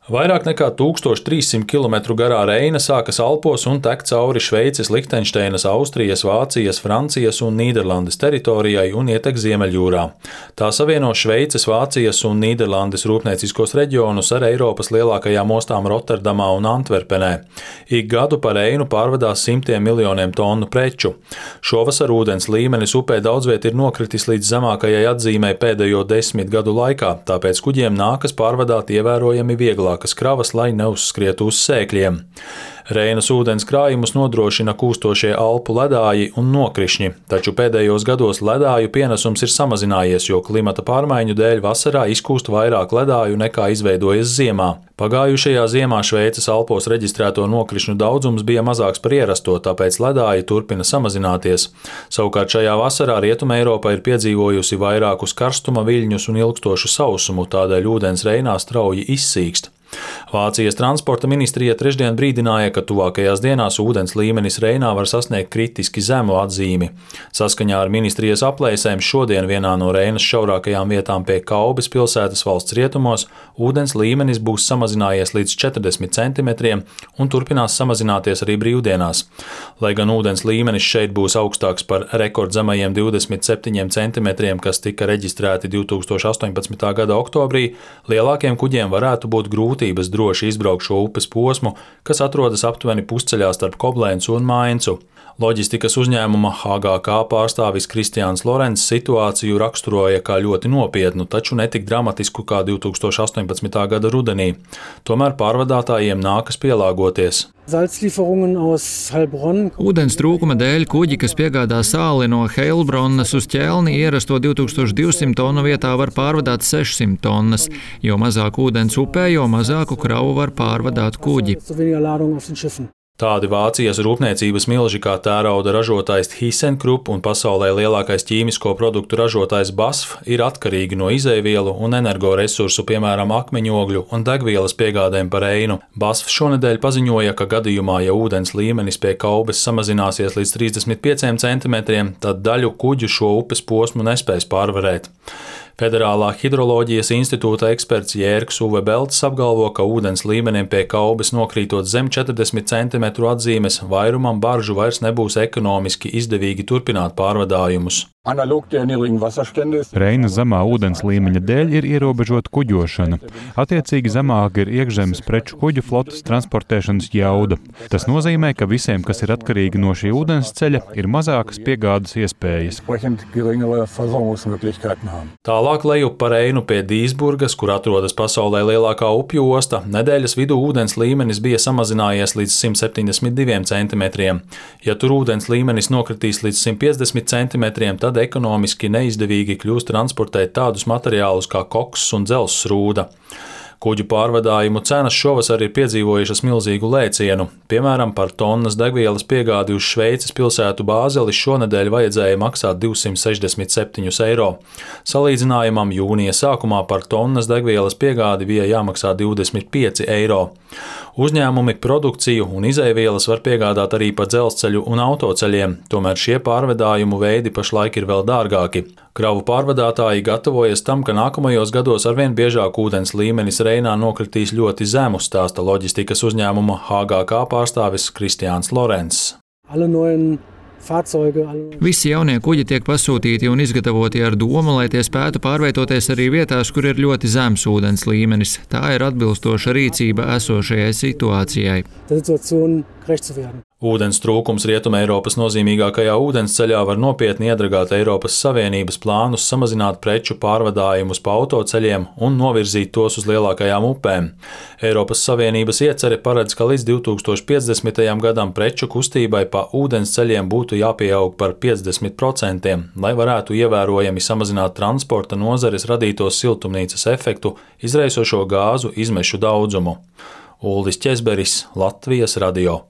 Vairāk nekā 1300 km garā Reina sākas Alpos un tek cauri Šveices, Lihtenšteinas, Austrijas, Vācijas, Francijas un Nīderlandes teritorijai un ietek Ziemeļjūrā. Tā savieno Šveices, Vācijas un Nīderlandes rūpnieciskos reģionus ar Eiropas lielākajām ostām Rotterdamā un Antverpenē. Ik gadu pa Reinu pārvadās simtiem miljoniem tonu preču. Šovasar ūdens līmenis upē daudzviet ir nokritis līdz zemākajai atzīmei pēdējo 10 gadu laikā, tāpēc kuģiem nākas pārvadāt ievērojami vieglāk kravas, lai neuzskrietu uz sēkļiem. Reinas ūdens krājumus nodrošina kūstošie Alpu ledāji un nokrišņi, taču pēdējos gados ledāju pienesums ir samazinājies, jo klimata pārmaiņu dēļ vasarā izkūst vairāk ledāju nekā izveidojas ziemā. Pagājušajā ziemā Šveices Alpos reģistrēto nokrišņu daudzums bija mazāks par ierasto, tāpēc ledāji turpina samazināties. Savukārt šajā vasarā Rietuma Eiropa ir piedzīvojusi vairākus karstuma viļņus un ilgstošu sausumu, tādēļ ūdens Reinā strauji izsīkst. Vācijas transporta ministrija trešdien brīdināja, ka tuvākajās dienās ūdens līmenis Reinā var sasniegt kritiski zemu atzīmi. Saskaņā ar ministrijas aplēsēm šodien vienā no Reinas šaurākajām vietām pie Kaubes pilsētas valsts rietumos ūdens līmenis būs samazinājies līdz 40 centimetriem un turpinās samazināties arī brīvdienās. Lai gan ūdens līmenis šeit būs augstāks par rekordzemajiem 27 centimetriem, kas tika reģistrēti 2018. gada oktobrī, lielākiem kuģiem varētu būt grūtības droši izbraukt šo upes posmu, kas atrodas aptuveni pusceļā starp Koblencu un Maincu. Loģistikas uzņēmuma HGK pārstāvis Kristiāns Lorents situāciju raksturoja kā ļoti nopietnu, taču netik dramatisku kā 2018. gada rudenī. Tomēr pārvadātājiem nākas pielāgoties. Ūdens trūkuma dēļ kuģi, kas piegādā sāli no Heilbronnas uz Ķelni, ierasto 2200 tonu vietā var pārvadāt 600 tonnas. Jo mazāk ūdens upē, jo mazāku kravu var pārvadāt kuģi. Tādi Vācijas rūpniecības milži kā tērauda ražotājs ThyssenKrupp un pasaulē lielākais ķīmisko produktu ražotājs BASF ir atkarīgi no izejvielu un energoresursu, piemēram, akmeņogļu un degvielas piegādēm pa Reinu. BASF šonedēļ paziņoja, ka gadījumā, ja ūdens līmenis pie Kaubes samazināsies līdz 35 centimetriem, tad daļu kuģu šo upes posmu nespēs pārvarēt. Federālā hidroloģijas institūta eksperts Jērgs Uve Belts apgalvo, ka ūdens līmenim pie Kaubes nokrītot zem 40 cm atzīmes, vairumam baržu vairs nebūs ekonomiski izdevīgi turpināt pārvadājumus. Reinas zemā ūdens līmeņa dēļ ir ierobežota kuģošana. Attiecīgi zemāka ir iekšzemes preču kuģu flotes transportēšanas jauda. Tas nozīmē, ka visiem, kas ir atkarīgi no šī ūdens ceļa, ir mazākas piegādes iespējas. Tālāk lejup pa Reinu pie Dīsburgas, kur atrodas pasaulē lielākā upju osta, nedēļas vidū ūdens līmenis bija samazinājies līdz 172 centimetriem. Ja tur ūdens līmenis nokritīs līdz 150 centimetriem, tad ekonomiski neizdevīgi kļūst transportēt tādus materiālus kā koks un dzelzs rūda. Kuģu pārvadājumu cenas šovasar ir piedzīvojušas milzīgu lēcienu. Piemēram, par tonnas degvielas piegādi uz Šveices pilsētu Bāzeli šonedēļ vajadzēja maksāt 267 eiro. Salīdzinājumam jūnija sākumā par tonnas degvielas piegādi bija jāmaksā 25 eiro. Uzņēmumi produkciju un izejvielas var piegādāt arī pa dzelzceļu un autoceļiem, tomēr šie pārvadājumu veidi pašlaik ir vēl dārgāki. Kravu pārvadātāji gatavojas tam, ka nākamajos gados arvien biežāk ūdens līmenis Reinā nokritīs ļoti zemu, stāsta loģistikas uzņēmuma HGK pārstāvis Kristiāns Lorents. Visi jaunie kuģi tiek pasūtīti un izgatavoti ar domu, lai tie spētu pārvietoties arī vietās, kur ir ļoti zems ūdens līmenis. Tā ir atbilstoša rīcība esošajai situācijai. Ūdens trūkums Rietuma Eiropas nozīmīgākajā ūdensceļā var nopietni iedragāt Eiropas Savienības plānus samazināt preču pārvadājumus pa autoceļiem un novirzīt tos uz lielākajām upēm. Eiropas Savienības iecere paredz, ka līdz 2050. gadam preču kustībai pa ūdensceļiem būtu jāpieaug par 50%, lai varētu ievērojami samazināt transporta nozares radītos siltumnīcas efektu, izraisošo gāzu izmešu daudzumu. Uldis Ķezberis, Latvijas radio.